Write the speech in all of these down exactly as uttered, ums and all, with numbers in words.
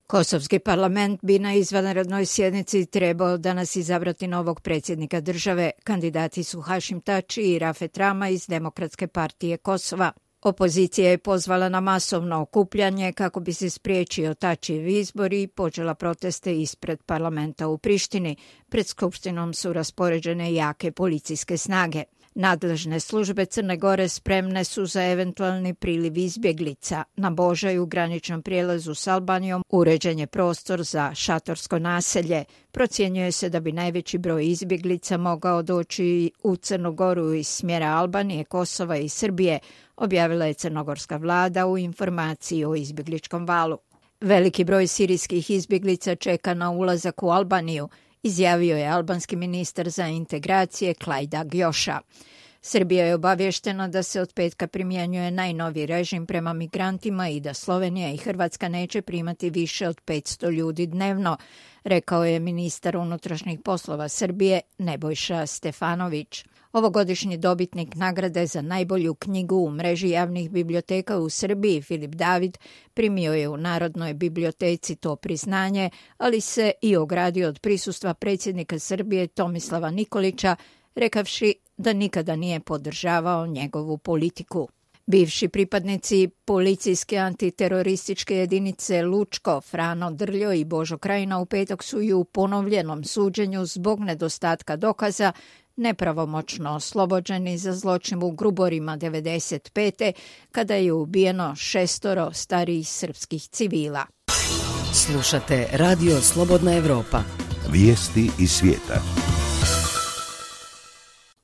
Kosovski parlament bi na izvanrednoj sjednici trebao danas izabrati novog predsjednika države. Kandidati su Hašim Tači i Rafet Rama iz Demokratske partije Kosova. Opozicija je pozvala na masovno okupljanje kako bi se spriječio Tačijev izbor i počela proteste ispred parlamenta u Prištini. Pred skupštinom su raspoređene jake policijske snage. Nadležne službe Crne Gore spremne su za eventualni priliv izbjeglica. Na Božaju, u graničnom prijelazu s Albanijom, uređen je prostor za šatorsko naselje. Procjenjuje se da bi najveći broj izbjeglica mogao doći u Crnu Goru iz smjera Albanije, Kosova i Srbije, objavila je crnogorska vlada u informaciji o izbjegličkom valu. Veliki broj sirijskih izbjeglica čeka na ulazak u Albaniju, izjavio je albanski ministar za integracije Klajda Gjoša. Srbija je obavještena da se od petka primjenjuje najnoviji režim prema migrantima i da Slovenija i Hrvatska neće primati više od petsto ljudi dnevno, rekao je ministar unutrašnjih poslova Srbije Nebojša Stefanović. Ovogodišnji dobitnik nagrade za najbolju knjigu u mreži javnih biblioteka u Srbiji, Filip David, primio je u Narodnoj biblioteci to priznanje, ali se i ogradio od prisustva predsjednika Srbije Tomislava Nikolića, rekavši da nikada nije podržavao njegovu politiku. Bivši pripadnici policijske antiterorističke jedinice Lučko, Frano Drljo i Božo Krajina u petak su i u ponovljenom suđenju zbog nedostatka dokaza nepravomoćno oslobođeni za zločin u Gruborima devedeset pete kada je ubijeno šestoro starijih srpskih civila. Slušate Radio Slobodna Evropa. Vijesti iz svijeta.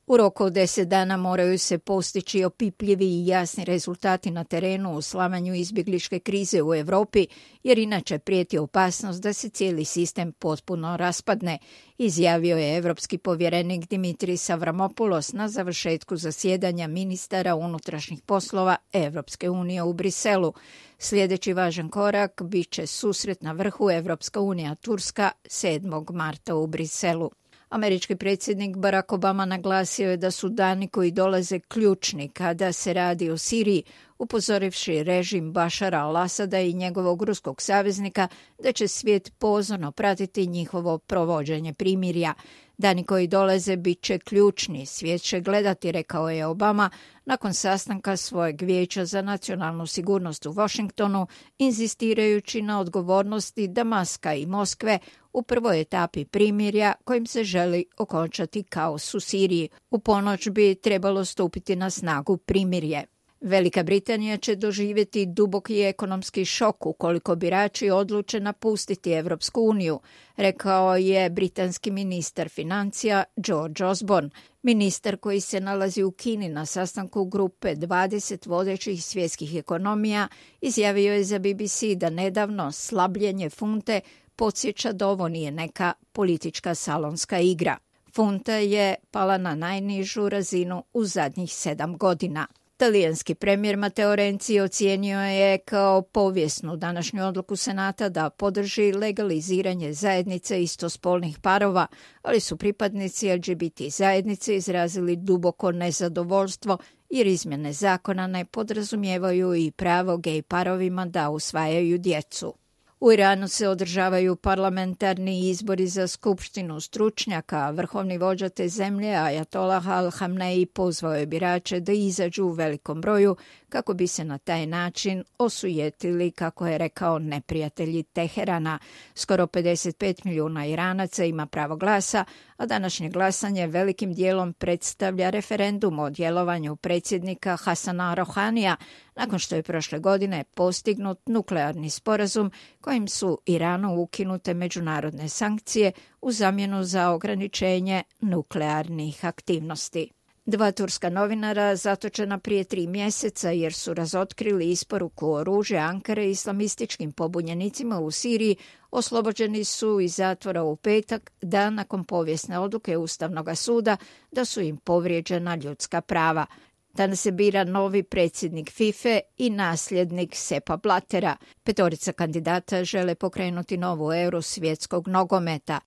U roku od deset dana moraju se postići opipljivi i jasni rezultati na terenu u slamanju izbjegličke krize u Europi, jer inače prijeti opasnost da se cijeli sistem potpuno raspadne, izjavio je evropski povjerenik Dimitris Avramopoulos na završetku zasjedanja ministara unutrašnjih poslova Evropske unije u Briselu. Sljedeći važan korak bit će susret na vrhu Evropska unija Turska sedmog marta u Briselu. Američki predsjednik Barack Obama naglasio je da su dani koji dolaze ključni kada se radi o Siriji, upozorivši režim Bašara al-Asada i njegovog ruskog saveznika da će svijet pozorno pratiti njihovo provođenje primirja. Dani koji dolaze bit će ključni, svijet će gledati, rekao je Obama nakon sastanka svojeg vijeća za nacionalnu sigurnost u Washingtonu, inzistirajući na odgovornosti Damaska i Moskve u prvoj etapi primirja kojim se želi okončati kaos u Siriji. U ponoć bi trebalo stupiti na snagu primirje. Velika Britanija će doživjeti duboki ekonomski šok ukoliko birači odluče napustiti Evropsku uniju, rekao je britanski ministar financija George Osborne. Ministar koji se nalazi u Kini na sastanku grupe dvadeset vodećih svjetskih ekonomija izjavio je za B B C da nedavno slabljenje funte podsjeća da ovo nije neka politička salonska igra. Funta je pala na najnižu razinu u zadnjih sedam godina. Talijanski premijer Matteo Renzi ocijenio je kao povijesnu današnju odluku Senata da podrži legaliziranje zajednice istospolnih parova, ali su pripadnici L G B T zajednice izrazili duboko nezadovoljstvo jer izmjene zakona ne podrazumijevaju i pravo gej parovima da usvajaju djecu. U Iranu se održavaju parlamentarni izbori za skupštinu stručnjaka, a vrhovni vođa te zemlje, Ajatollah al-Hamnei, pozvao je birače da izađu u velikom broju kako bi se na taj način osujetili, kako je rekao, neprijatelji Teherana. Skoro pedeset pet milijuna Iranaca ima pravo glasa, a današnje glasanje velikim dijelom predstavlja referendum o djelovanju predsjednika Hasana Rohanija, nakon što je prošle godine postignut nuklearni sporazum kojim su Iranu ukinute međunarodne sankcije u zamjenu za ograničenje nuklearnih aktivnosti. Dva turska novinara zatočena prije tri mjeseca jer su razotkrili isporuku oružja Ankare islamističkim pobunjenicima u Siriji oslobođeni su iz zatvora u petak, dan nakon povijesne odluke Ustavnog suda da su im povrijeđena ljudska prava. Danas se bira novi predsjednik FIFA i nasljednik Seppa Blattera. Petorica kandidata žele pokrenuti novu eru svjetskog nogometa.